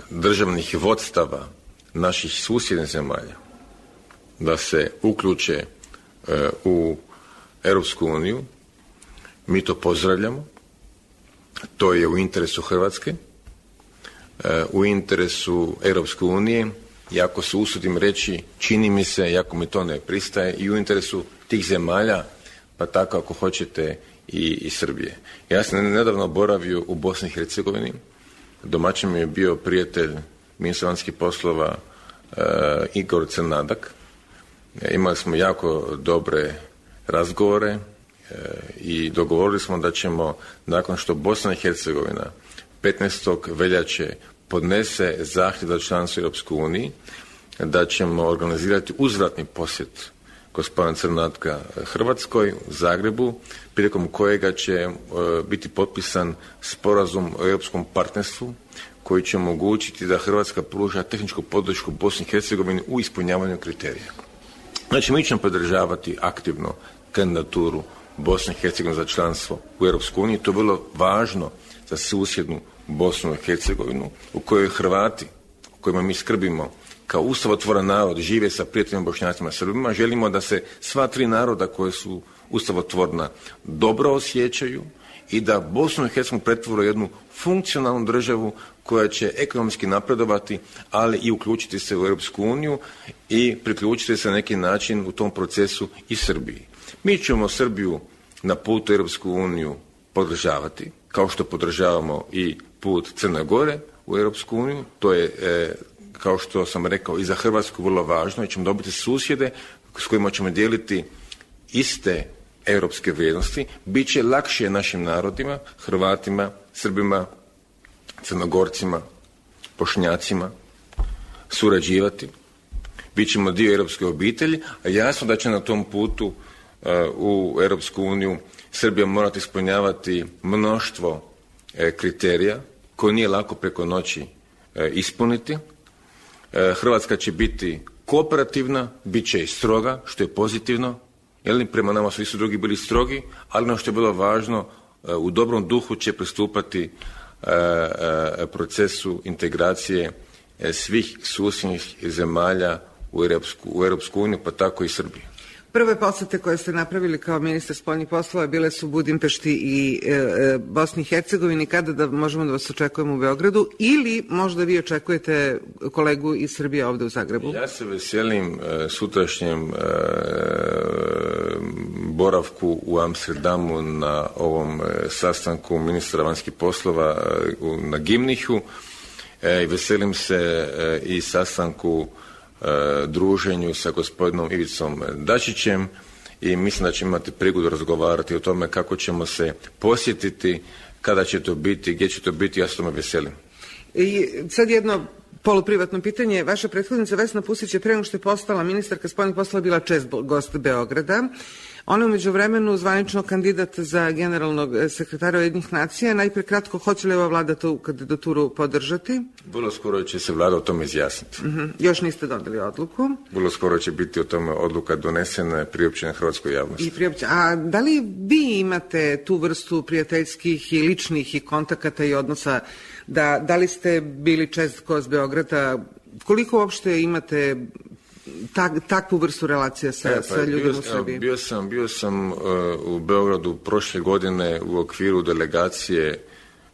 državnih vodstava naših susjednih zemalja da se uključe e, u Europsku uniju, mi to pozdravljamo. To je u interesu Hrvatske, e, u interesu Europske unije, i ako se usudim reći, čini mi se, iako mi to ne pristaje, i u interesu tih zemalja, pa tako ako hoćete i, i Srbije. Ja sam nedavno boravio u Bosni i Hercegovini, domaćin mi je bio prijatelj ministra vanjskih poslova e, Igor Crnadak. Imali smo jako dobre razgovore e, i dogovorili smo da ćemo, nakon što Bosna i Hercegovina petnaestog veljače podnese zahtjev za članstvo u Europskoj uniji, da ćemo organizirati uzvratni posjet gospodina Crnadka Hrvatskoj u Zagrebu, prilikom kojega će e, biti potpisan sporazum o europskom partnerstvu koji će omogućiti da Hrvatska pruža tehničku podršku Bosni i Hercegovini u ispunjavanju kriterija. Znači, mi ćemo podržavati aktivno kandidaturu Bosne i Hercegovine za članstvo u Europskoj uniji. To je bilo važno za susjednu Bosnu i Hercegovinu, u kojoj Hrvati, u kojima mi skrbimo kao ustavotvoran narod, žive sa prijateljima Bošnjacima i Srbima. Želimo da se sva tri naroda koje su ustavotvorna dobro osjećaju i da Bosnu i Hercegovinu pretvore jednu funkcionalnu državu koja će ekonomski napredovati, ali i uključiti se u Europsku uniju i priključiti se na neki način u tom procesu i Srbiji. Mi ćemo Srbiju na putu u Europsku uniju podržavati, kao što podržavamo i put Crne Gore u Europsku uniju. To je, e, kao što sam rekao, i za Hrvatsku vrlo važno, i ćemo dobiti susjede s kojima ćemo dijeliti iste europske vrijednosti. Biće lakše našim narodima, Hrvatima, Srbima, Crnogorcima, Bošnjacima surađivati, bit ćemo dio europske obitelji, a jasno da će na tom putu uh, u Europsku uniju Srbija morati ispunjavati mnoštvo e, kriterija koje nije lako preko noći e, ispuniti. E, Hrvatska će biti kooperativna, bit će i stroga, što je pozitivno, jer prema nama su i su drugi bili strogi, ali ono što je bilo važno, e, u dobrom duhu će pristupati e, e, procesu integracije e, svih susjednih zemalja u Europsku, u Europsku uniju, pa tako i Srbiju. Prve posete koje ste napravili kao ministar spoljnih poslova bile su Budimpešti i e, e, Bosni i Hercegovini. Kada da možemo da vas očekujemo u Beogradu ili možda vi očekujete kolegu iz Srbije ovde u Zagrebu? Ja se veselim e, sutrašnjem e, boravku u Amsterdamu na ovom e, sastanku ministra vanjskih poslova e, u, na Gimnichu e, i veselim se e, i sastanku druženju sa gospodinom Ivicom Dačićem i mislim da ćemo imati prigodu razgovarati o tome kako ćemo se posjetiti, kada će to biti, gdje će to biti, ja se tome veselim. I sad jedno poluprivatno pitanje. Vaša prethodnica Vesna Pusić je pre nego što je postala ministarka spoljnih poslova bila čest gost Beograda. Ona je u međuvremenu zvanično kandidat za generalnog sekretara Ujedinjenih nacija. Najpre kratko, hoće li ova vlada tu kandidaturu podržati? Vrlo skoro će se vlada o tome izjasniti. Uh-huh. Još niste doneli odluku? Vrlo skoro će biti o tome odluka donesena, priopćena hrvatskoj javnosti. I priopćena. A da li vi imate tu vrstu prijateljskih i ličnih i kontakata i odnosa, da, da li ste bili čest gost Beograda, koliko uopšte imate Tak, takvu vrstu relacija sa, e, pa, sa ljudima bio, u Srbiji? Bio sam, bio sam uh, u Beogradu prošle godine u okviru delegacije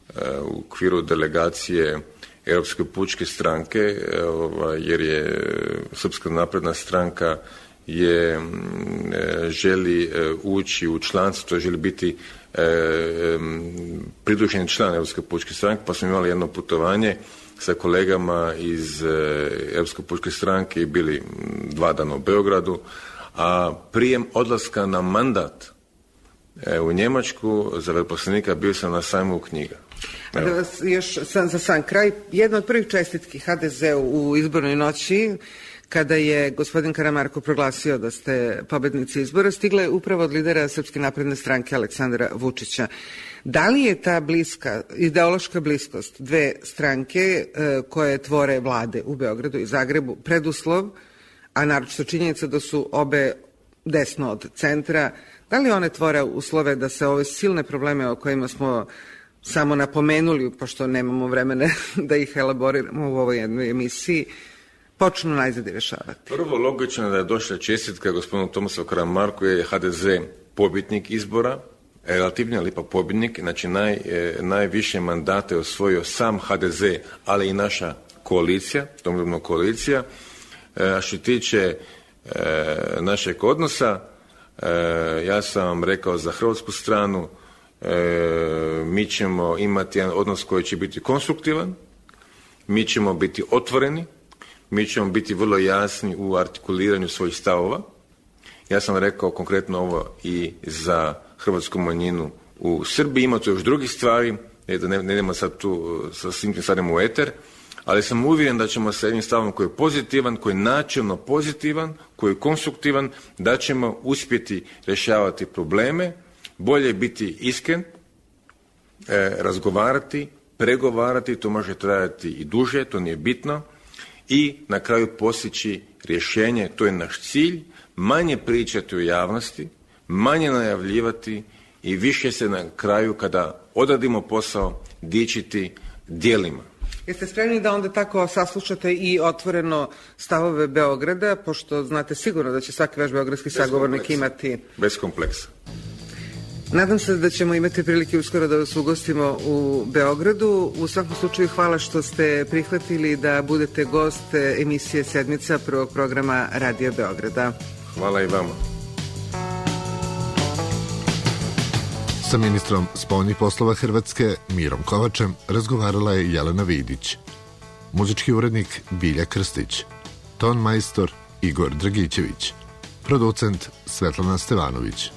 uh, u okviru delegacije Europske pučke stranke, uh, jer je Srpska napredna stranka je uh, želi uh, ući u članstvo, to želi biti uh, um, pridruženi član Europske pučke stranke, pa smo imali jedno putovanje sa kolegama iz e, Europske pučke stranke i bili dva dana u Beogradu, a prijem odlaska na mandat e, u Njemačku za veleposlanika bio sam na sajmu knjiga. Da vas još sam, za sam kraj, jedna od prvih čestitki ha de zeu u izbornoj noći, kada je gospodin Karamarko proglasio da ste pobednici izbora, stigla je upravo od lidera Srpske napredne stranke Aleksandra Vučića. Da li je ta bliska, ideološka bliskost dve stranke e, koje tvore vlade u Beogradu i Zagrebu preduslov, a naročito činjenica da su obe desno od centra, da li one tvore uslove da se ove silne probleme o kojima smo samo napomenuli, pošto nemamo vremena da ih elaboriramo u ovoj jednoj emisiji, počnu najzad rešavati? Prvo, logično da je došla čestitka gospodinu Tomislavu Karamarku, je ha de ze pobjednik izbora, relativno, ali ipak pobjednik, znači naj, e, najviše mandate osvojio sam ha de ze, ali i naša koalicija, domoljubna koalicija. E, a što tiče e, našeg odnosa, e, ja sam vam rekao za hrvatsku stranu, e, mi ćemo imati jedan odnos koji će biti konstruktivan, mi ćemo biti otvoreni, mi ćemo biti vrlo jasni u artikuliranju svojih stavova. Ja sam rekao konkretno ovo i za hrvatsku manjinu u Srbiji, ima tu još drugih stvari, da ne, ne idemo sad tu sa svim tim stvarima u eter, ali sam uvjeren da ćemo sa jednim stavom koji je pozitivan, koji je načelno pozitivan, koji je konstruktivan, da ćemo uspjeti rješavati probleme, bolje biti iskren, e, razgovarati, pregovarati, to može trajati i duže, to nije bitno, i na kraju postići rješenje, to je naš cilj, manje pričati u javnosti, manje najavljivati i više se na kraju, kada odradimo posao, dičiti djelima. Jeste spremni da onda tako saslušate i otvoreno stavove Beograda, pošto znate sigurno da će svaki vaš beogradski sagovornik imati... Bez kompleksa. Nadam se da ćemo imati prilike uskoro da vas ugostimo u Beogradu. U svakom slučaju hvala što ste prihvatili da budete gost emisije Sedmica prvog programa Radio Beograda. Hvala i vama. Sa ministrom spoljnih poslova Hrvatske Mirom Kovačem razgovarala je Jelena Vidić. Muzički urednik Bilja Krstić, ton majstor Igor Dragićević, producent Svetlana Stevanović.